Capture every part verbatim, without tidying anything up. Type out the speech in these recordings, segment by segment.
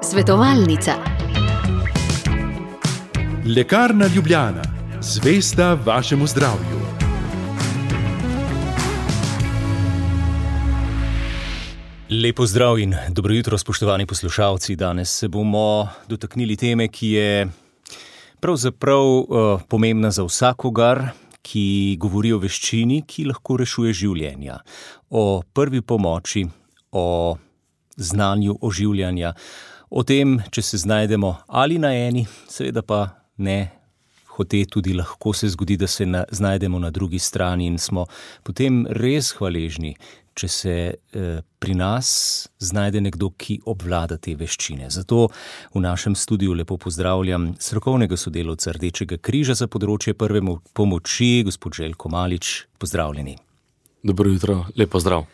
Svetovalnica. Lekarna Ljubljana, zvesta vašemu zdravju. Lepo zdrav in dobro jutro, spoštovani poslušalci. Danes se bomo dotaknili teme, ki je pravzaprav uh, pomembna za vsakogar, ki govori o veščini, ki lahko rešuje življenja. O prvi pomoči, o znanju oživljanja, o tem, če se znajdemo ali na eni, seveda pa ne hote, tudi lahko se zgodi, da se na, znajdemo na drugi strani in smo potem res hvaležni, če se eh, pri nas znajde nekdo, ki obvlada te veščine. Zato v našem studiu lepo pozdravljam strokovnega sodelavca Rdečega križa za področje prve pomoči, gospod Željko Malič. Pozdravljeni. Dobro jutro, lep pozdrav.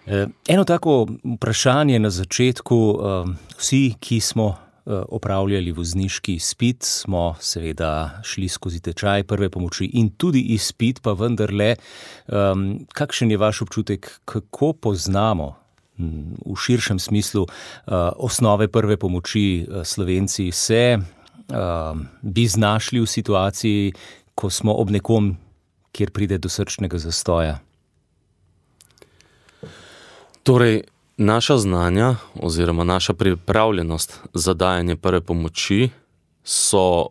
Eh, eno tako vprašanje na začetku. Eh, vsi, ki smo opravljali vozniški izpit, smo seveda šli skozi tečaj prve pomoči in tudi izpit, pa vendarle, um, kakšen je vaš občutek, kako poznamo v širšem smislu uh, osnove prve pomoči? Slovenci se uh, bi znašli v situaciji, ko smo ob nekom, kjer pride do srčnega zastoja? Torej, naša znanja oziroma naša pripravljenost za dajanje prve pomoči so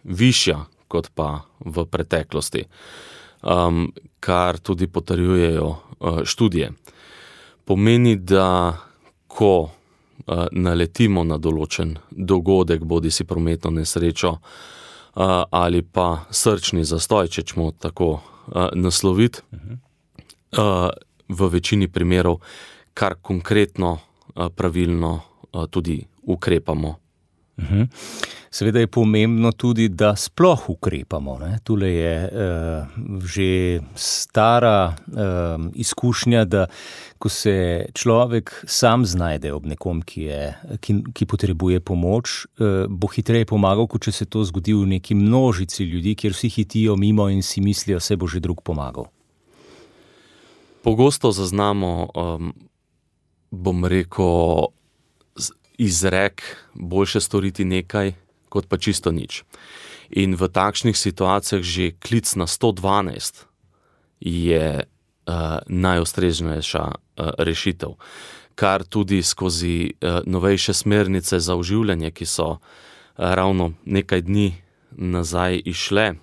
višja kot pa v preteklosti, um, kar tudi potrjujejo uh, študije. Pomeni, da ko uh, naletimo na določen dogodek, bodi si prometno nesrečo uh, ali pa srčni zastoj, če ćemo tako uh, nasloviti, uh, v večini primerov kar konkretno, pravilno tudi ukrepamo. Uhum. Seveda je pomembno tudi, da sploh ukrepamo. Ne? Tule je uh, že stara uh, izkušnja, da ko se človek sam znajde ob nekom, ki, je, ki, ki potrebuje pomoč, uh, bo hitreje pomagal, kot če se to zgodi v neki množici ljudi, kjer vsi hitijo mimo in si mislijo, se bo že drug pomagal. Pogosto zaznamo um, bom rekel, izrek, boljše storiti nekaj, kot pa čisto nič. In v takšnih situacijah že klic na sto dvanajst je uh, najustreznejša uh, rešitev, kar tudi skozi uh, novejše smernice za oživljanje, ki so uh, ravno nekaj dni nazaj išle,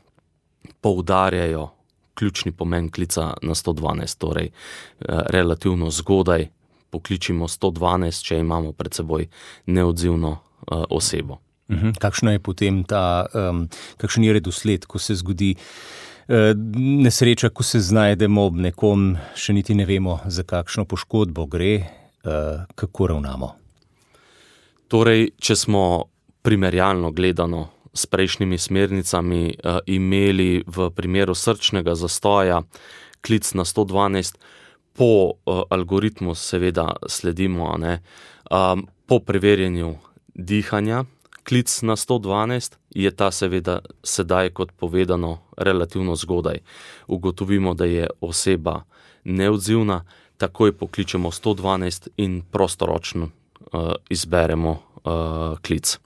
poudarjajo ključni pomen klica na sto dvanajst, torej uh, relativno zgodaj pokličimo sto dvanajst, če imamo pred seboj neodzivno uh, osebo. Uhum. Kakšno je potem ta, um, kakšen je redosled, ko se zgodi uh, nesreča, ko se znajdemo ob nekom, še niti ne vemo, za kakšno poškodbo gre, uh, kako ravnamo? Torej, če smo primerjalno gledano s prejšnjimi smernicami uh, imeli v primeru srčnega zastoja klic na sto dvanajst, po uh, algoritmu seveda sledimo, ne, um, po preverjanju dihanja, klic na sto dvanajst je ta seveda sedaj, kot povedano, relativno zgodaj. Ugotovimo, da je oseba neodzivna, takoj pokličemo sto dvanajst in prostoročno uh, izberemo uh, klic.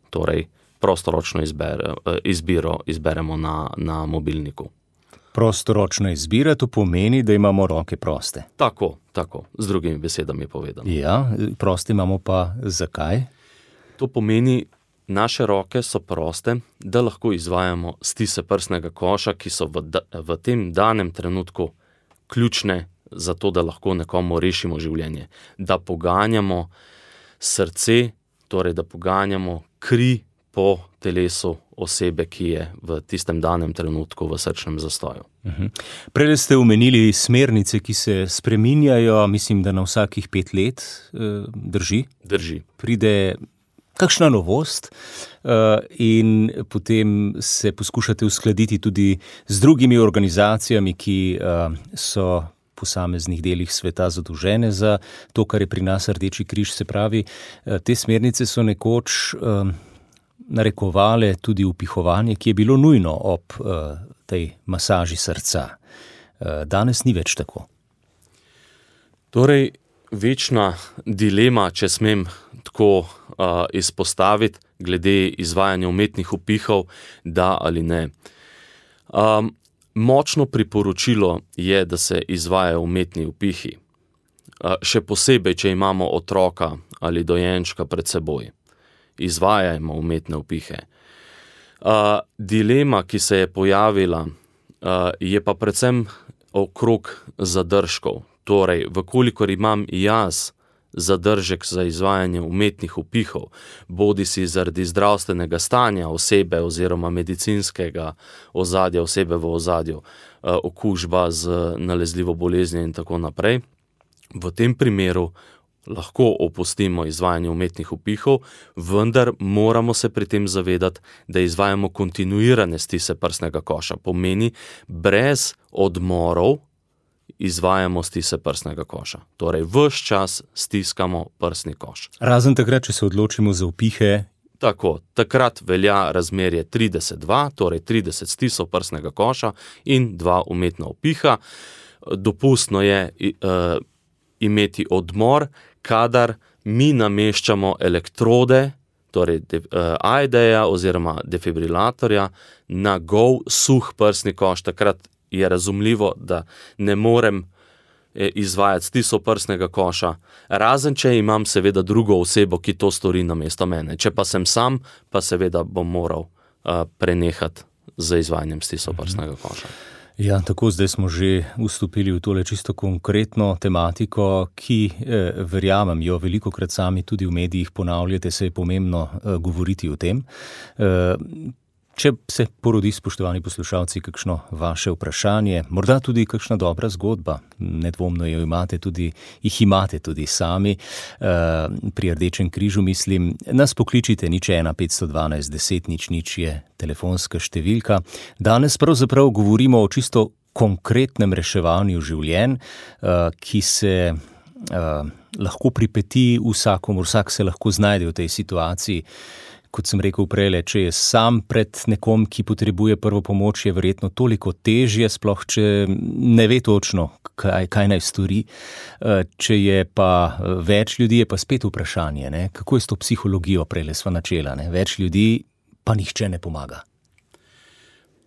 Torej, prostoročno izbere, uh, izbiro izberemo na, na mobilniku. Prostoročna izbira, to pomeni, da imamo roke proste. Tako, tako, z drugimi besedami povedano. Ja, proste imamo pa zakaj? To pomeni, naše roke so proste, da lahko izvajamo stise prsnega koša, ki so v, da, v tem danem trenutku ključne za to, da lahko nekomu rešimo življenje. Da poganjamo srce, torej da poganjamo kri po telesu osebe, ki je v tistem danem trenutku v srčnem zastoju. Uh-huh. Prej ste omenili smernice, ki se spreminjajo, mislim, da na vsakih pet let, drži? Drži. Pride kakšna novost in potem se poskušate uskladiti tudi z drugimi organizacijami, ki so v posameznih delih sveta zadolžene za to, kar je pri nas Rdeči križ. Se pravi, te smernice so nekoč narekovale tudi upihovanje, ki je bilo nujno ob uh, tej masaži srca. Uh, danes ni več tako. Torej, večna dilema, če smem tako uh, izpostaviti, glede izvajanja umetnih upihov, da ali ne. Um, močno priporočilo je, da se izvajajo umetni upihi. Uh, še posebej, če imamo otroka ali dojenčka pred seboj. Izvajajmo umetne upihe. Uh, dilema, ki se je pojavila, uh, je pa predvsem okrog zadržkov. Torej, vkolikor imam jaz zadržek za izvajanje umetnih upihov, bodi si zaradi zdravstvenega stanja osebe oziroma medicinskega ozadja osebe v ozadju, uh, okužba z nalezljivo boleznijo in tako naprej, v tem primeru lahko opustimo izvajanje umetnih upihov, vendar moramo se pri tem zavedati, da izvajamo kontinuirane stise prsnega koša. Pomeni, brez odmorov izvajamo stise prsnega koša. Torej, ves čas stiskamo prsni koš. Razen takrat, če se odločimo za upihe. Tako, takrat velja razmerje trideset dva, torej trideset stisov prsnega koša in dva umetna upiha. Dopustno je uh, imeti odmor, kadar mi nameščamo elektrode, torej uh, A E D-ja oziroma defibrilatorja, na gol suh prsni koš. Takrat je razumljivo, da ne morem eh, izvajati stisov prsnega koša, razen če imam seveda drugo osebo, ki to stori namesto mene. Če pa sem sam, pa seveda bom moral uh, prenehati z izvajanjem stisov prsnega koša. Ja, tako zdaj smo že vstopili v tole čisto konkretno tematiko, ki eh, verjamem jo velikokrat sami tudi v medijih ponavljate, se je pomembno eh, govoriti o tem. Eh, če se porodi, spoštovani poslušalci, kakšno vaše vprašanje, morda tudi kakšna dobra zgodba, nedvomno jo imate tudi, jih imate tudi sami, eh, pri Rdečem križu mislim, nas pokličite nič ena petsto dvanajst deset nič nič je telefonska številka. Danes pravzaprav govorimo o čisto konkretnem reševanju življenj, uh, ki se uh, lahko pripeti vsakomur, vsak se lahko znajde v tej situaciji. Kot sem rekel prej, če je sam pred nekom, ki potrebuje prvo pomoč, je verjetno toliko težje, sploh če ne ve točno, kaj, kaj naj stori. Uh, če je pa več ljudi, je pa spet vprašanje, ne? Kako je s to psihologijo, prej sva načela, ne? Več ljudi pa nihče ne pomaga.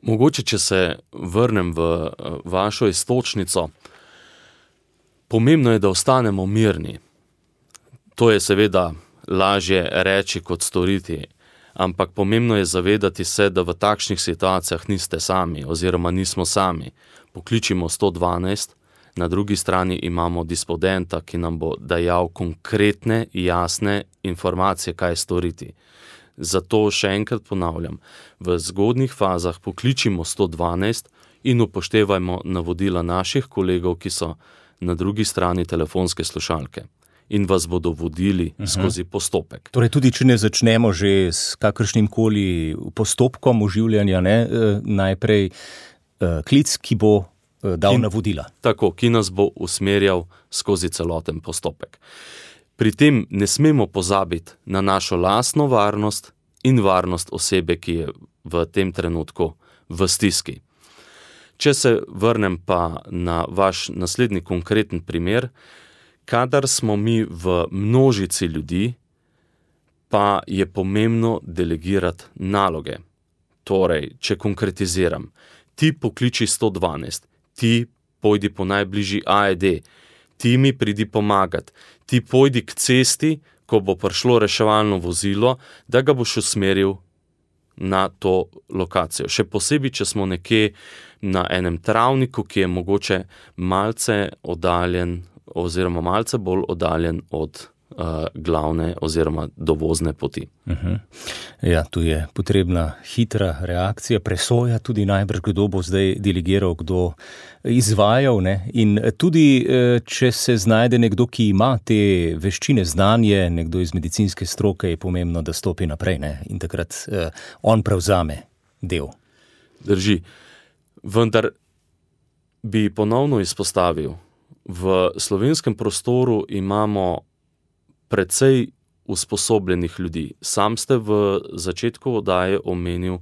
Mogoče, če se vrnem v vašo iztočnico, pomembno je, da ostanemo mirni. To je seveda lažje reči kot storiti, ampak pomembno je zavedati se, da v takšnih situacijah niste sami oziroma nismo sami. Pokličimo sto dvanajst, na drugi strani imamo dispodenta, ki nam bo dajal konkretne, jasne informacije, kaj storiti. Zato še enkrat ponavljam, v zgodnjih fazah pokličimo sto dvanajst in upoštevajmo navodila naših kolegov, ki so na drugi strani telefonske slušalke in vas bodo vodili uh-huh. skozi postopek. Torej tudi, če ne začnemo že s kakršnim koli postopkom oživljanja, ne, najprej uh, klic, ki bo uh, dal ki, navodila. Tako, ki nas bo usmerjal skozi celoten postopek. Pri tem ne smemo pozabiti na našo lastno varnost in varnost osebe, ki je v tem trenutku v stiski. Če se vrnem pa na vaš naslednji konkreten primer, kadar smo mi v množici ljudi, pa je pomembno delegirati naloge. Torej, če konkretiziram, ti pokliči sto dvanajst, ti pojdi po najbližji A E D, ti mi pridi pomagati, ti pojdi k cesti, ko bo prišlo reševalno vozilo, da ga boš usmeril na to lokacijo. Še posebej, če smo nekje na enem travniku, ki je mogoče malce oddaljen oziroma malce bolj oddaljen od uh, glavne oziroma dovozne poti. Uh-huh. Ja, tu je potrebna hitra reakcija, presoja tudi najbrž, kdo bo zdaj delegiral, kdo izvajal, ne? In tudi, če se znajde nekdo, ki ima te veščine, znanje, nekdo iz medicinske stroke, je pomembno, da stopi naprej, ne? In takrat eh, on prevzame del. Drži. Vendar bi ponovno izpostavil, v slovenskem prostoru imamo precej usposobljenih ljudi. Sam ste v začetku oddaje omenil,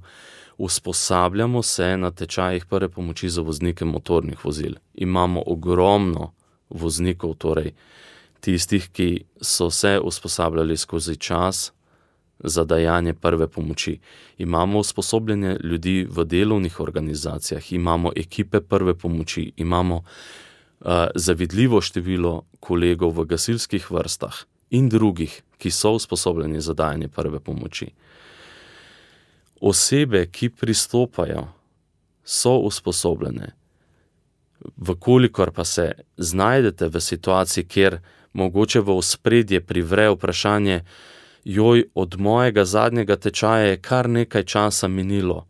usposabljamo se na tečajih prve pomoči za voznike motornih vozil. Imamo ogromno voznikov, torej tistih, ki so se usposabljali skozi čas za dajanje prve pomoči. Imamo usposobljene ljudi v delovnih organizacijah, imamo ekipe prve pomoči, imamo uh, zavidljivo število kolegov v gasilskih vrstah in drugih, ki so usposobljeni za dajanje prve pomoči. Osebe, ki pristopajo, so usposobljene. Vkolikor pa se znajdete v situaciji, kjer mogoče v ospredje privre vprašanje, joj, od mojega zadnjega tečaja je kar nekaj časa minilo.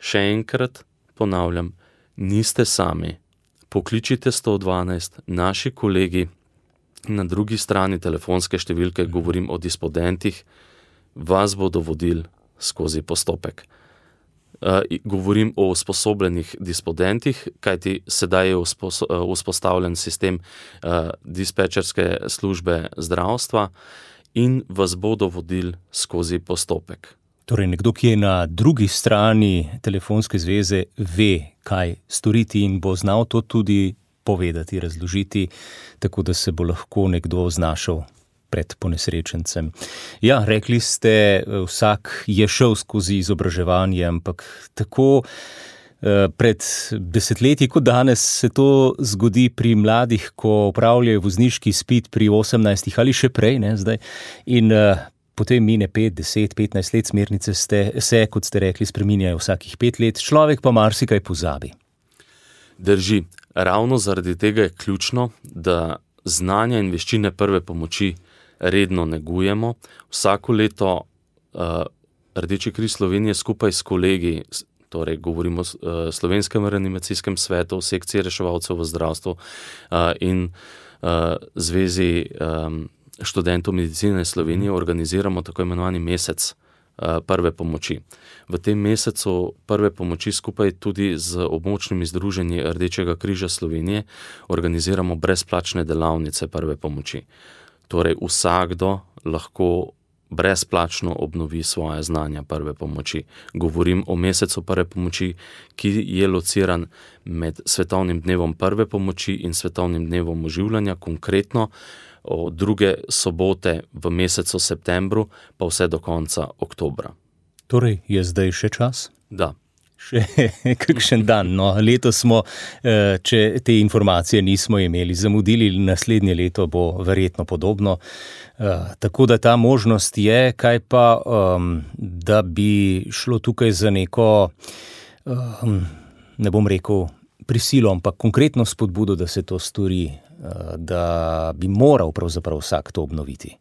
Še enkrat ponavljam, niste sami. Pokličite sto dvanajst, naši kolegi na drugi strani telefonske številke, govorim o dispodentih, vas bodo vodili skozi postopek. Uh, govorim o usposobljenih dispodentih, kajti sedaj je uspos- uh, vzpostavljen sistem uh, dispečerske službe zdravstva in vas bodo vodili skozi postopek. Torej, nekdo, ki je na drugi strani telefonske zveze, ve, kaj storiti in bo znal to tudi povedati, razložiti, tako da se bo lahko nekdo znašel pred ponesrečencem. Ja, rekli ste, vsak je šel skozi izobraževanje, ampak tako eh, pred desetletji kot danes se to zgodi pri mladih, ko opravljajo vozniški izpit pri osemnajstih ali še prej, ne, zdaj. In eh, potem mine pet, deset, petnajst let, smernice ste, se, kot ste rekli, spreminjajo vsakih pet let, človek pa marsikaj pozabi. Drži. Ravno zaradi tega je ključno, da znanja in veščine prve pomoči redno negujemo. Vsako leto uh, Rdeči križ Slovenije skupaj s kolegi, torej govorimo o uh, Slovenskem reanimacijskem svetu, sekciji reševalcev v zdravstvu uh, in uh, Zvezi um, študentov medicine Slovenije organiziramo tako imenovani mesec uh, prve pomoči. V tem mesecu prve pomoči skupaj tudi z območnimi združenji Rdečega križa Slovenije organiziramo brezplačne delavnice prve pomoči. Torej vsakdo lahko brezplačno obnovi svoje znanja prve pomoči. Govorim o mesecu prve pomoči, ki je lociran med Svetovnim dnevom prve pomoči in Svetovnim dnevom oživljanja, konkretno od druge sobote v mesecu septembru pa vse do konca oktobra. Torej, je zdaj še čas? Da. Še kakšen dan. No, letos smo, če te informacije nismo imeli, zamudili, naslednje leto bo verjetno podobno. Tako da ta možnost je, kaj pa, da bi šlo tukaj za neko, ne bom rekel prisilo, ampak konkretno spodbudo, da se to stori, da bi moral pravzaprav vsak to obnoviti.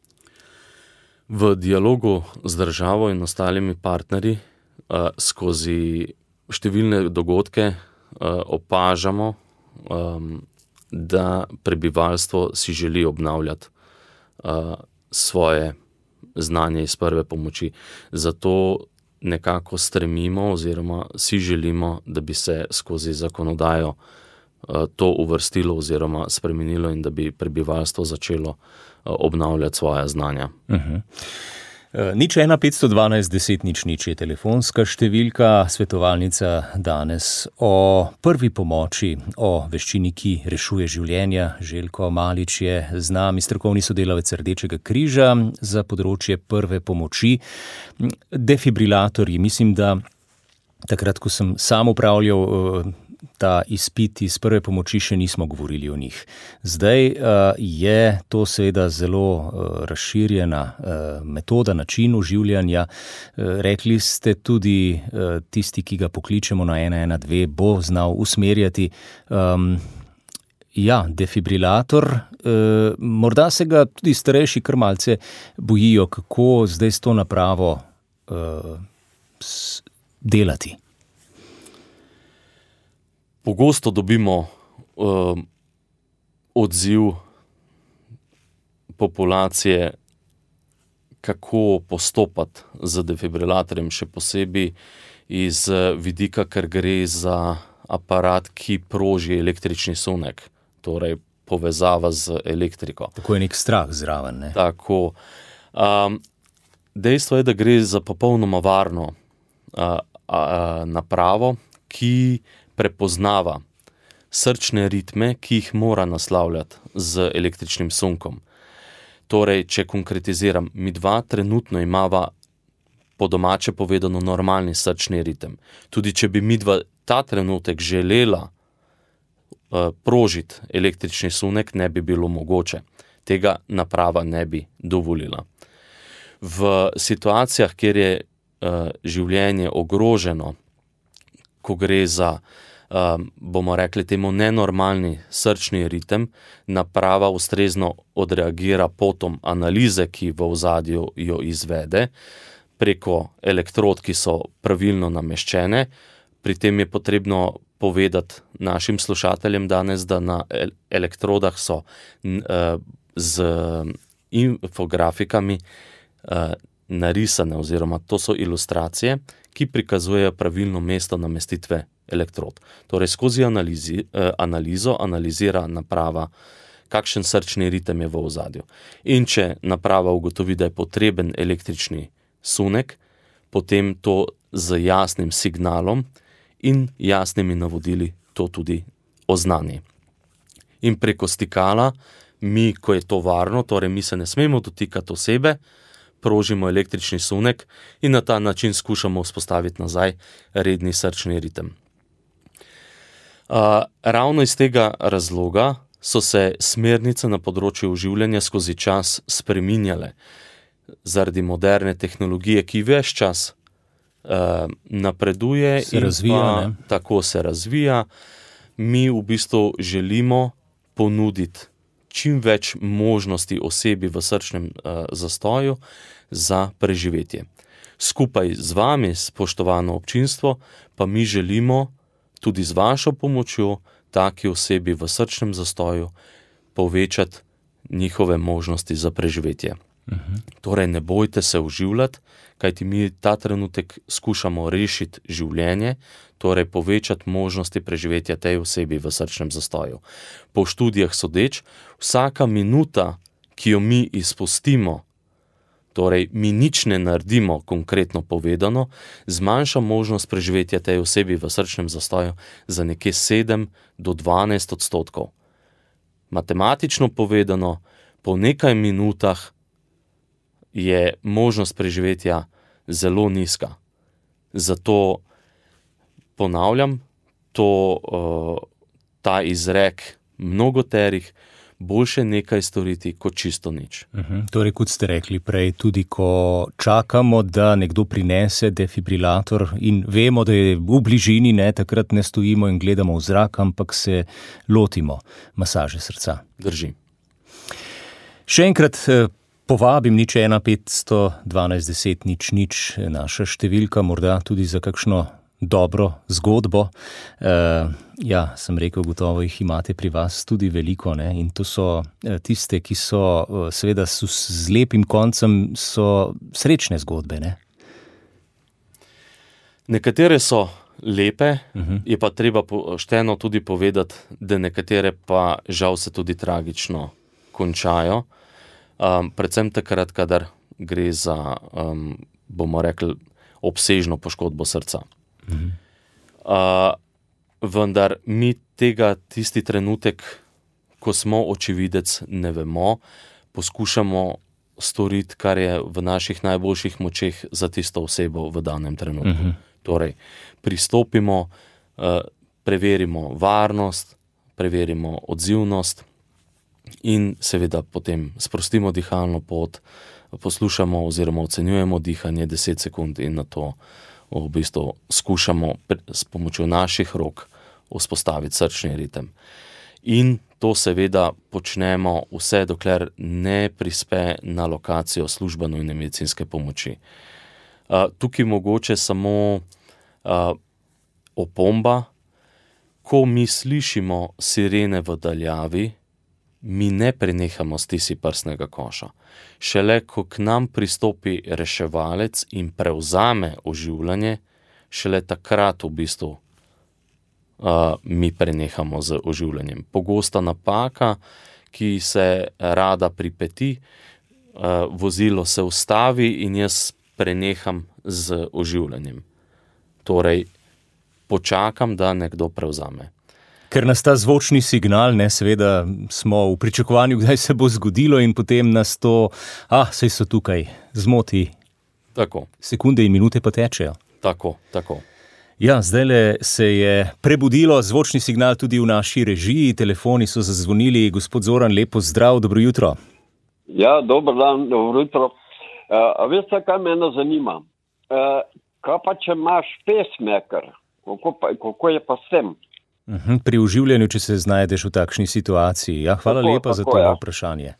V dialogu z državo in ostalimi partnerji skozi številne dogodke uh, opažamo, um, da prebivalstvo si želi obnavljati uh, svoje znanje iz prve pomoči. Zato nekako stremimo oziroma si želimo, da bi se skozi zakonodajo uh, to uvrstilo oziroma spremenilo in da bi prebivalstvo začelo uh, obnavljati svoje znanja. Uh-huh. Nič ena petsto dvanajst deset nič nič je telefonska številka, svetovalnica danes o prvi pomoči, o veščini, ki rešuje življenja. Željko Malič je z nami, strokovni sodelavec Rdečega križa za področje prve pomoči. Defibrilatorji, mislim, da takrat, ko sem sam upravljal ta izpit iz prve pomoči, še nismo govorili o njih. Zdaj uh, je to seveda zelo uh, razširjena uh, metoda, način oživljanja. Uh, rekli ste tudi, uh, tisti, ki ga pokličemo na ena ena dve, bo znal usmerjati. Um, ja, defibrilator, uh, morda se ga tudi starejši kar malce bojijo, kako zdaj s to napravo uh, s, delati. Pogosto dobimo uh, odziv populacije, kako postopati z defibrilatorjem, še posebej iz vidika, ker gre za aparat, ki proži električni sunek, torej povezava z elektriko. Tako je nek strah zraven, ne? Tako. Um, dejstvo je, da gre za popolnoma varno uh, uh, napravo, ki prepoznava srčne ritme, ki jih mora naslavljati z električnim sunkom. Torej, če konkretiziram, mi dva trenutno imava po domače povedano normalni srčni ritem. Tudi če bi mi dva ta trenutek želela uh, prožiti električni sunek, ne bi bilo mogoče. Tega naprava ne bi dovolila. V situacijah, kjer je uh, življenje ogroženo, ko gre za, uh, bomo rekli temu, nenormalni srčni ritem, naprava ustrezno odreagira potom analize, ki v ozadju jo izvede, preko elektrod, ki so pravilno nameščene. Pri tem je potrebno povedati našim slušateljem danes, da na elektrodah so uh, z infografikami uh, narisane, oziroma to so ilustracije, ki prikazujejo pravilno mesto namestitve elektrod. Torej, skozi analizi, uh, analizo analizira naprava, kakšen srčni ritem je v ozadju. In če naprava ugotovi, da je potreben električni sunek, potem to z jasnim signalom in jasnimi navodili to tudi oznani. In preko stikala mi, ko je to varno, torej mi se ne smemo dotikati osebe, prožimo električni sunek in na ta način skušamo vzpostaviti nazaj redni srčni ritem. Uh, ravno iz tega razloga so se smernice na področju oživljanja skozi čas spreminjale. Zaradi moderne tehnologije, ki ves čas uh, napreduje se in razvija, pa, ne? tako se razvija, mi v bistvu želimo ponuditi čim več možnosti osebi v srčnem uh, zastoju za preživetje. Skupaj z vami, spoštovano občinstvo, pa mi želimo tudi z vašo pomočjo taki osebi v srčnem zastoju povečati njihove možnosti za preživetje. Uhum. Torej, ne bojte se oživljati, kajti mi ta trenutek skušamo rešiti življenje, torej povečati možnosti preživetja tej osebi v srčnem zastoju. Po študijah sodeč, vsaka minuta, ki jo mi izpustimo, torej mi nič ne naredimo, konkretno povedano, zmanjša možnost preživetja tej osebi v srčnem zastoju za nekje sedem do dvanajst odstotkov. Matematično povedano, po nekaj minutah je možnost preživetja zelo nizka. Zato ponavljam, to, uh, ta izrek mnogoterih, boljše nekaj storiti kot čisto nič. Uhum. Torej, kot ste rekli prej, tudi ko čakamo, da nekdo prinese defibrilator in vemo, da je v bližini, ne, takrat ne stojimo in gledamo v zrak, ampak se lotimo masaže srca. Drži. Še enkrat povabim nič ena petsto dvanajst deset nič nič, naša številka, morda tudi za kakšno dobro zgodbo. Uh, ja, sem rekel, gotovo jih imate pri vas tudi veliko, ne? In to so uh, tiste, ki so uh, seveda s, z lepim koncem, so srečne zgodbe, ne? Nekatere so lepe, uh-huh. je pa treba pošteno tudi povedati, da nekatere pa žal se tudi tragično končajo. Um, predvsem takrat, kadar gre za, um, bomo rekli, obsežno poškodbo srca. Uh-huh. Uh, vendar mi tega tisti trenutek, ko smo očividec, ne vemo, poskušamo storiti, kar je v naših najboljših močeh za tisto osebo v danem trenutku. Uh-huh. Torej, pristopimo, uh, preverimo varnost, preverimo odzivnost in seveda potem sprostimo dihalno pot, poslušamo oziroma ocenjujemo dihanje deset sekund in na to v bistvu skušamo s pomočjo naših rok vzpostaviti srčni ritem. In to seveda počnemo vse, dokler ne prispe na lokacijo službe nujne medicinske pomoči. Uh, tukaj mogoče samo uh, opomba, ko mi slišimo sirene v daljavi, mi ne prenehamo stisniti prsnega koša. Šele, ko k nam pristopi reševalec in prevzame oživljanje, šele takrat v bistvu uh, mi prenehamo z oživljanjem. Pogosta napaka, ki se rada pripeti, uh, vozilo se ustavi in jaz preneham z oživljanjem. Torej, počakam, da nekdo prevzame. ker nas ta zvočni signal, ne, seveda smo v pričakovanju, kdaj se bo zgodilo in potem nas to, ah, saj so tukaj, zmoti. Tako. Sekunde in minute pa tečejo. Tako, tako. Ja, zdajle se je prebudilo zvočni signal tudi v naši režiji, telefoni so zazvonili. Gospod Zoran, lepo zdrav, dobro jutro. Ja, dober dan, dobro jutro. Uh, veste, kaj mene zanima? Uh, kaj pa, če imaš pacemaker? Kako, pa, kako je pa s tem? Uh-huh, pri oživljanju, če se znajdeš v takšni situaciji. Ja, hvala tako, lepa tako, za to ja. vprašanje.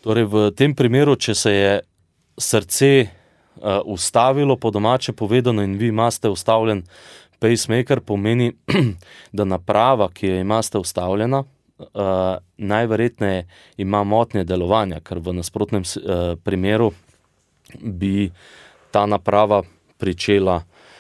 Torej, v tem primeru, če se je srce uh, ustavilo, po domače povedano, in vi imate ustavljen pacemaker, pomeni, da naprava, ki jo imate ustavljena, Uh, najverjetneje ima motnje delovanja, ker v nasprotnem uh, primeru bi ta naprava pričela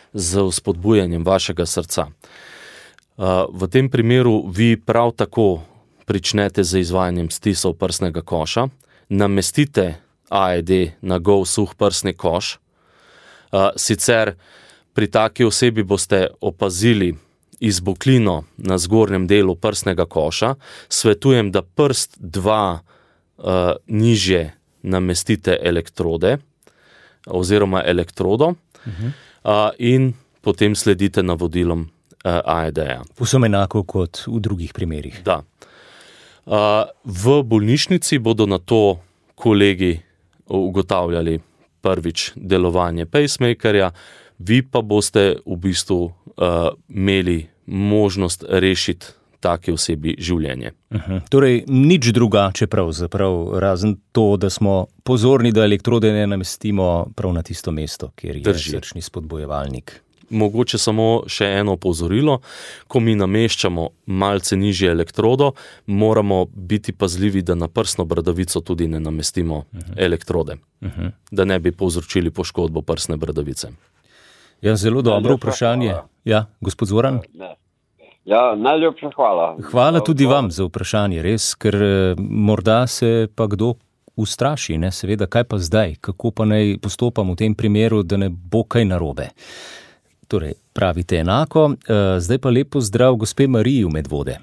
z vzpodbujanjem vašega srca. Uh, v tem primeru vi prav tako pričnete z izvajanjem stisov prsnega koša, namestite A E D na gol suh prsni koš, uh, sicer pri taki osebi boste opazili izboklino na zgornjem delu prsnega koša, svetujem, da prst dva uh, nižje namestite elektrode oziroma elektrodo uh-huh. uh, in potem sledite navodilom uh, A E D-ja. Povsem enako kot v drugih primerih. Da. Uh, v bolnišnici bodo na to kolegi ugotavljali prvič delovanje pacemakerja, vi pa boste v bistvu uh, imeli možnost rešiti take osebi življenje. Uh-huh. Torej, nič drugače pravzaprav, razen to, da smo pozorni, da elektrode ne namestimo prav na tisto mesto, kjer je Drži. srčni spodbojevalnik. Mogoče samo še eno opozorilo, ko mi nameščamo malce nižje elektrodo, moramo biti pazljivi, da na prsno bradavico tudi ne namestimo uh-huh. elektrode, uh-huh. da ne bi povzročili poškodbo prsne bradavice. Ja, zelo dobro vprašanje. Ja, gospod Zoran? Ja, najlepša hvala. Hvala tudi vam za vprašanje, res, ker morda se pa kdo ustraši, ne, seveda, kaj pa zdaj, kako pa naj postopam v tem primeru, da ne bo kaj narobe. Torej, pravite enako, zdaj pa lepo zdrav gospe Mariji v Medvode.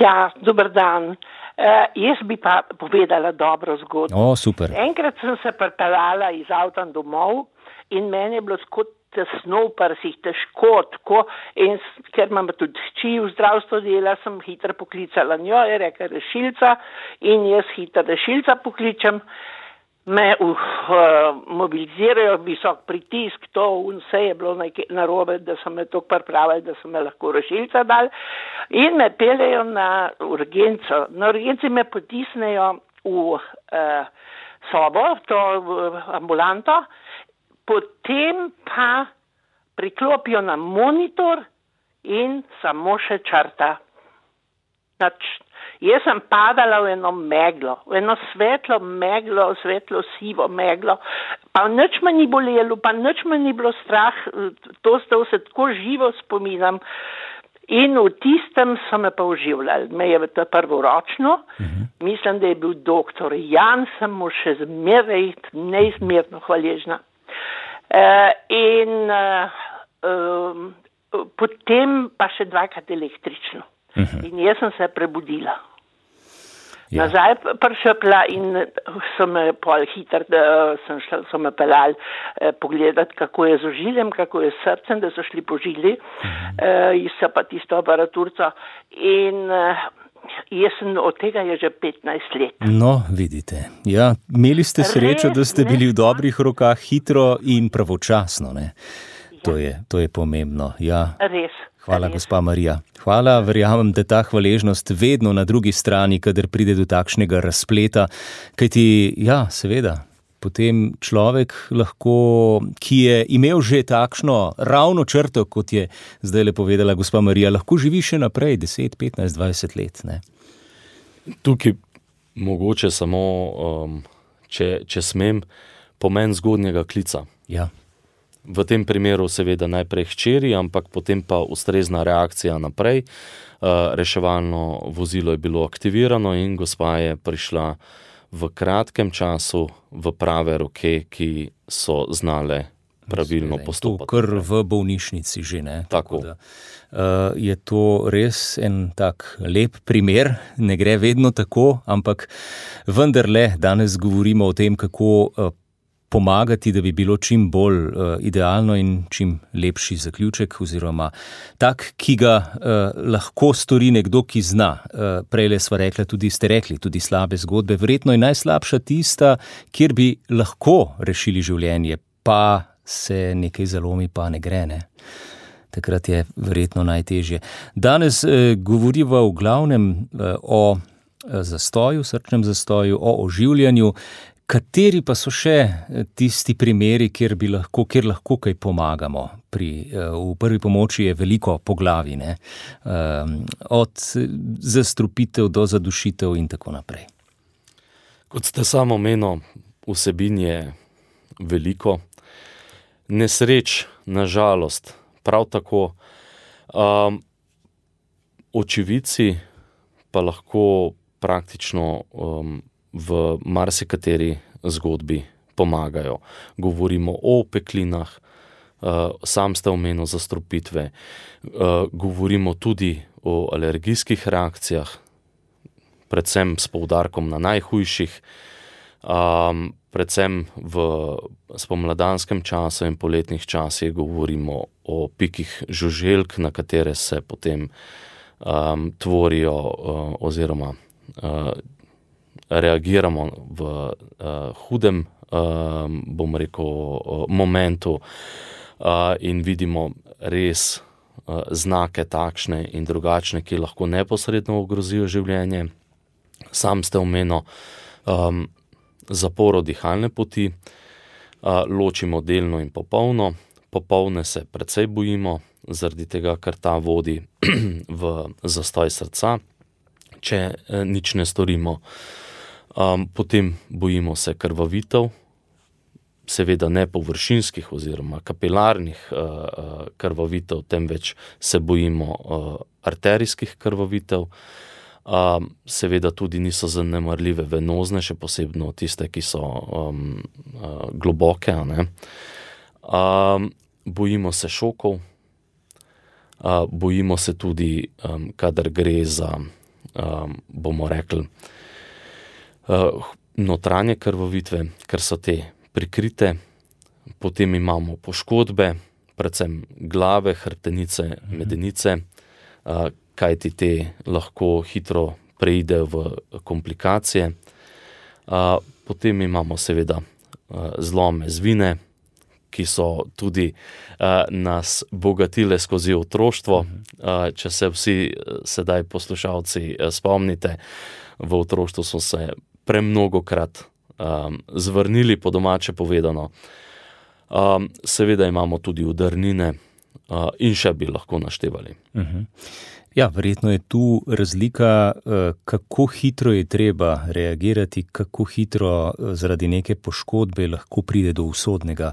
Ja, dober dan. Uh, jaz bi pa povedala dobro zgodbo. O, super. Enkrat sem se pripeljala iz avta domov in meni je bilo skot tesno v prsih, težko, tako, in ker imam tudi hči v zdravstvu dela, sem hitro poklicala njo, je rekla rešilca in jaz hitro rešilca pokličem, me uh, mobilizirajo, visok pritisk, to vse je bilo narobe, da so me toliko pripravili, da so me lahko rešilca dali in me peljejo na urgenco. Na urgenci me potisnejo v uh, sobo, to uh, ambulanto, potem pa priklopijo na monitor in samo še črta. Nač, jaz sem padala v eno meglo, v eno svetlo meglo, svetlo sivo meglo, pa nič me ni bolelo, pa nič me ni bilo strah, to ste se tako živo spominam. In v tistem so me pa oživljali. Me je to prvoročno, uh-huh. mislim, da je bil doktor Jan, sem mu še zmeraj neizmerno hvaležna. Uh, in uh, um, potem pa še dvakrat električno. Uh-huh. In jaz sem se prebudila. Ja. Nazaj prišla in so me pol hitro, da sem šla, so me pelali eh, pogledati, kako je z ožiljem, kako je s srcem, da so šli po žili, uh-huh. eh, in so pa tisto aparaturco. In eh, jaz sem od tega je že petnajst let. No, vidite. Ja, imeli ste srečo, da ste bili v dobrih rokah hitro in pravočasno, ne? Ja. To je, to je pomembno. Ja. Res. Hvala, res. gospa Marija. Hvala, verjamem, da ta hvaležnost vedno na drugi strani, kadar pride do takšnega razpleta, kajti, ja, seveda, potem človek lahko, ki je imel že takšno ravno črto, kot je zdaj le povedala gospa Marija, lahko živi še naprej deset, petnajst, dvajset let. Ne? Tukaj mogoče samo, um, če, če smem, pomen zgodnjega klica. Ja. V tem primeru seveda najprej hčeri, ampak potem pa ustrezna reakcija naprej. Uh, reševalno vozilo je bilo aktivirano in gospa je prišla v kratkem času v prave roke, ki so znale pravilno postopati. To kar v bolnišnici že, ne? Tako. Da, uh, je to res en tak lep primer, ne gre vedno tako, ampak vendarle danes govorimo o tem, kako uh, pomagati, da bi bilo čim bolj uh, idealno in čim lepši zaključek, oziroma tak, ki ga uh, lahko stori nekdo, ki zna. Uh, prejle sva rekla, tudi ste rekli, tudi slabe zgodbe. Verjetno je najslabša tista, kjer bi lahko rešili življenje, pa se nekaj zalomi, pa ne gre, ne. Takrat je verjetno najtežje. Danes eh, govoriva v glavnem eh, o zastoju, srčnem zastoju, o oživljanju. Kateri pa so še tisti primeri, kjer bi lahko, kjer lahko kaj pomagamo? Pri, v prvi pomoči je veliko poglavij, ne? Od zastrupitev do zadušitev in tako naprej. Kot ste samo omenili, vsebin je veliko. Nesreč, na žalost, prav tako. Um, očividci pa lahko praktično um, v marsikateri zgodbi pomagajo. Govorimo o peklinah, uh, sam ste omenil zastrupitve, uh, govorimo tudi o alergijskih reakcijah, predvsem s poudarkom na najhujših, um, predvsem v spomladanskem času in poletnih časih govorimo o pikih žuželk, na katere se potem um, tvorijo uh, oziroma uh, reagiramo v uh, hudem, uh, bom rekel, uh, momentu uh, in vidimo res uh, znake takšne in drugačne, ki lahko neposredno ogrozijo življenje. Sam ste omenil um, zaporo dihalne poti, uh, ločimo delno in popolno. Popolne se precej bojimo, zaradi tega, ker ta vodi v zastoj srca, če uh, nič ne storimo. Um, potem bojimo se krvavitev, seveda ne površinskih oziroma kapilarnih uh, krvavitev, temveč se bojimo uh, arterijskih krvavitev. Um, seveda tudi niso zanemarljive venozne, še posebno tiste, ki so um, uh, globoke. Ne? Um, bojimo se šokov, uh, bojimo se tudi, um, kadar gre za, um, bomo rekli, Uh, notranje krvavitve, ker so te prikrite. Potem imamo poškodbe, predvsem glave, hrbtenice, medenice, uh, kajti te lahko hitro preidejo v komplikacije. Uh, potem imamo seveda uh, zlome zvine, ki so tudi uh, nas bogatile skozi otroštvo. Uh, če se vsi sedaj poslušalci uh, spomnite, v otroštvu so se premnogokrat um, zvrnili, po domače povedano. Um, seveda imamo tudi udarnine uh, in še bi lahko naštevali. Uh-huh. Ja, verjetno je tu razlika, kako hitro je treba reagirati, kako hitro zaradi neke poškodbe lahko pride do usodnega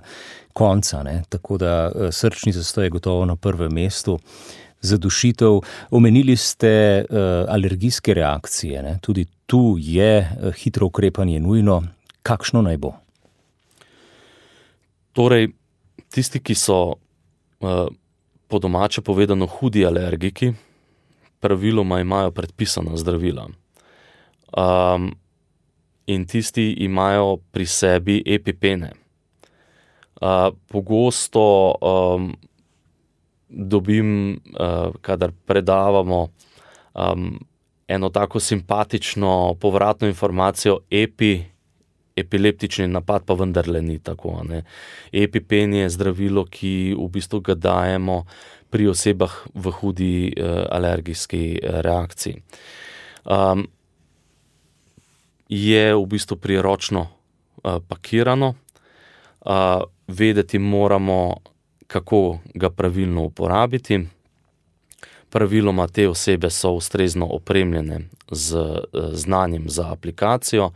konca, ne? Tako da srčni zastoj je gotovo na prvem mestu. Zadušitev, omenili ste uh, alergijske reakcije, ne? Tudi tu je uh, hitro ukrepanje nujno. Kakšno naj bo? Torej, tisti, ki so uh, po domače povedano hudi alergiki, praviloma imajo predpisana zdravila. Um, in tisti imajo pri sebi epipene. Uh, pogosto um, dobim, uh, kadar predavamo, um, eno tako simpatično povratno informacijo, epi, epileptični napad pa vendarle ni tako. Ne? Epipen je zdravilo, ki v bistvu ga dajemo pri osebah v hudi uh, alergijski reakciji. Um, je v bistvu priročno uh, pakirano, uh, vedeti moramo, kako ga pravilno uporabiti. Praviloma te osebe so ustrezno opremljene z znanjem za aplikacijo,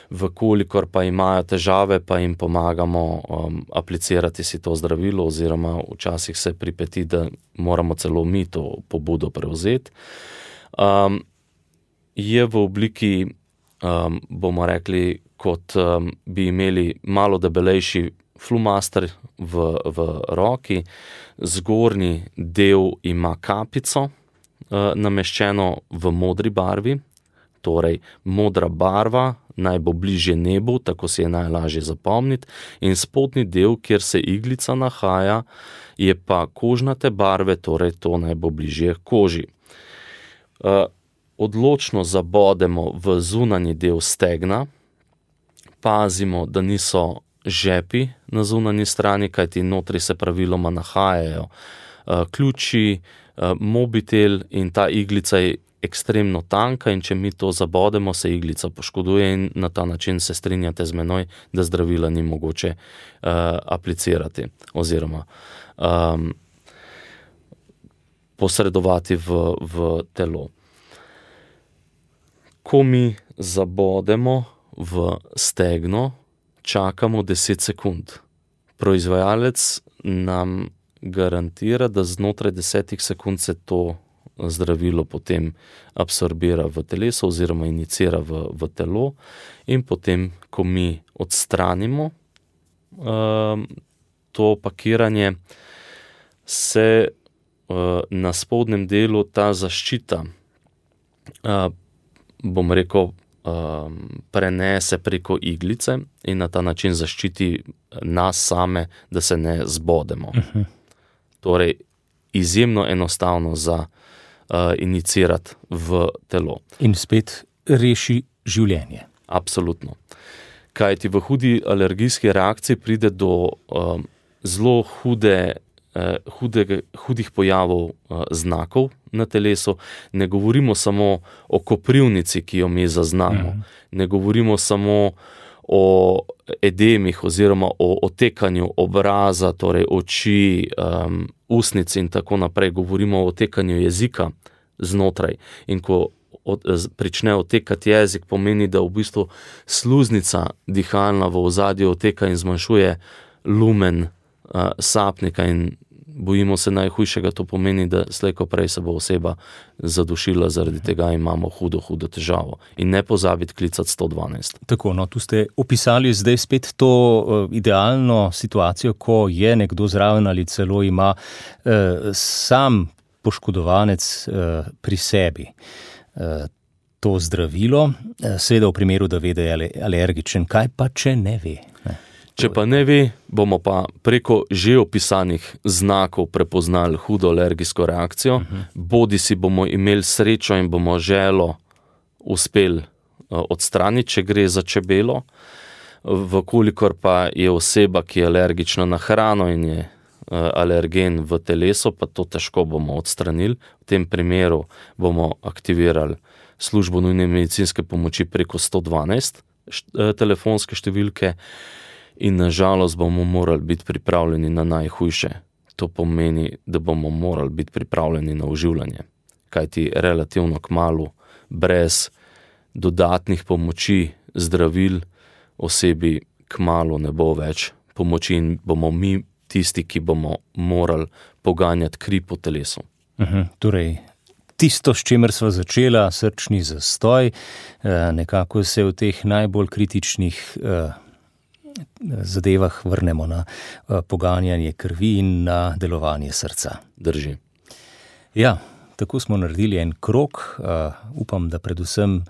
vkolikor pa imajo težave, pa jim pomagamo um, aplicirati si to zdravilo, oziroma včasih se pripeti, da moramo celo mi to pobudo prevzeti. Um, je v obliki, um, bomo rekli, kot um, bi imeli malo debelejši Flumaster v, v roki, zgornji del ima kapico uh, nameščeno v modri barvi, torej modra barva naj bo bližje nebu, tako si je najlažje zapomniti, in spodnji del, kjer se iglica nahaja, je pa kožnate barve, torej to naj bo bližje koži. Uh, odločno zabodemo v zunanji del stegna, pazimo, da niso žepi na zunanji strani, kajti notri se praviloma nahajajo uh, ključi, uh, mobitel, in ta iglica je ekstremno tanka, in če mi to zabodemo, se iglica poškoduje, in na ta način se strinjate z menoj, da zdravila ni mogoče uh, aplicirati oziroma um, posredovati v, v telo. Ko mi zabodemo v stegno, čakamo deset sekund. Proizvajalec nam garantira, da znotraj desetih sekund se to zdravilo potem absorbira v telesu oziroma inicira v, v telo, in potem, ko mi odstranimo uh, to pakiranje, se uh, na spodnjem delu ta zaščita, uh, bom rekel, uh, prenese preko iglice in na ta način zaščiti nas same, da se ne zbodemo. Uh-huh. Torej, izjemno enostavno za Uh, inicirati v telo. In spet reši življenje. Absolutno. Kajti v hudi alergijski reakciji pride do um, zelo hude, uh, hude, hudih pojavov uh, znakov na telesu. Ne govorimo samo o koprivnici, ki jo mi zaznamo. Mm. Ne govorimo samo o edemih oziroma o otekanju obraza, torej oči, um, usnic in tako naprej. Govorimo o otekanju jezika znotraj. In ko od, prične otekati jezik, pomeni, da v bistvu sluznica dihalna v ozadju oteka in zmanjšuje lumen uh, sapnika, in bojimo se najhujšega, to pomeni, da slej ko prej se bo oseba zadušila, zaradi tega imamo hudo, hudo težavo. In ne pozabiti klicati sto dvanajst. Tako, no, tu ste opisali zdaj spet to uh, idealno situacijo, ko je nekdo zraven ali celo ima uh, sam poškodovanec uh, pri sebi uh, to zdravilo, uh, seveda v primeru, da ve, da je alergičen. Kaj pa, če ne ve? Ne? Če pa ne ve, bomo pa preko že opisanih znakov prepoznali hudo alergijsko reakcijo, uh-huh. bodi si bomo imeli srečo in bomo želo uspeli uh, odstraniti, če gre za čebelo, vkolikor pa je oseba, ki je alergična na hrano in je alergen v telesu, pa to težko bomo odstranili. V tem primeru bomo aktivirali službo nujne medicinske pomoči preko sto dvanajst telefonske številke, in na žalost bomo morali biti pripravljeni na najhujše. To pomeni, da bomo morali biti pripravljeni na oživljanje. Kajti relativno kmalu, brez dodatnih pomoči, zdravil, osebi kmalu ne bo več pomoči in bomo mi tisti, ki bomo morali poganjati kri po telesu. Uhum, torej, tisto, s čimer sva začela, srčni zastoj, nekako se v teh najbolj kritičnih zadevah vrnemo na poganjanje krvi in na delovanje srca. Drži. Ja, tako smo naredili en krog, upam, da predvsem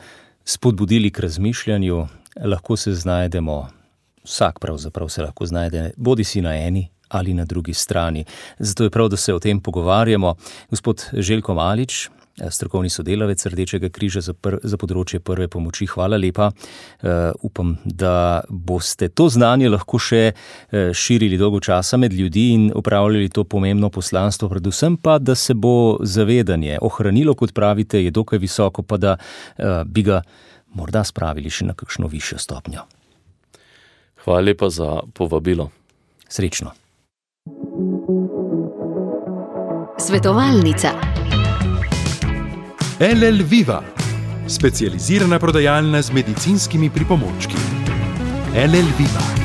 spodbudili k razmišljanju, lahko se znajdemo, vsak pravzaprav se lahko znajde, bodi si na eni ali na drugi strani. Zato je prav, da se o tem pogovarjamo. Gospod Željko Malič, strokovni sodelavec Rdečega križa za, pr- za področje prve pomoči, hvala lepa. Uh, upam, da boste to znanje lahko še uh, širili dolgo časa med ljudi in upravljali to pomembno poslanstvo, predvsem pa, da se bo zavedanje ohranilo, kot pravite, je dokaj visoko, pa da uh, bi ga morda spravili še na kakšno višjo stopnjo. Hvala lepa za povabilo. Srečno. Svetovalnica. L L Viva, specializirana prodajalna z medicinskimi pripomočki. L L Viva.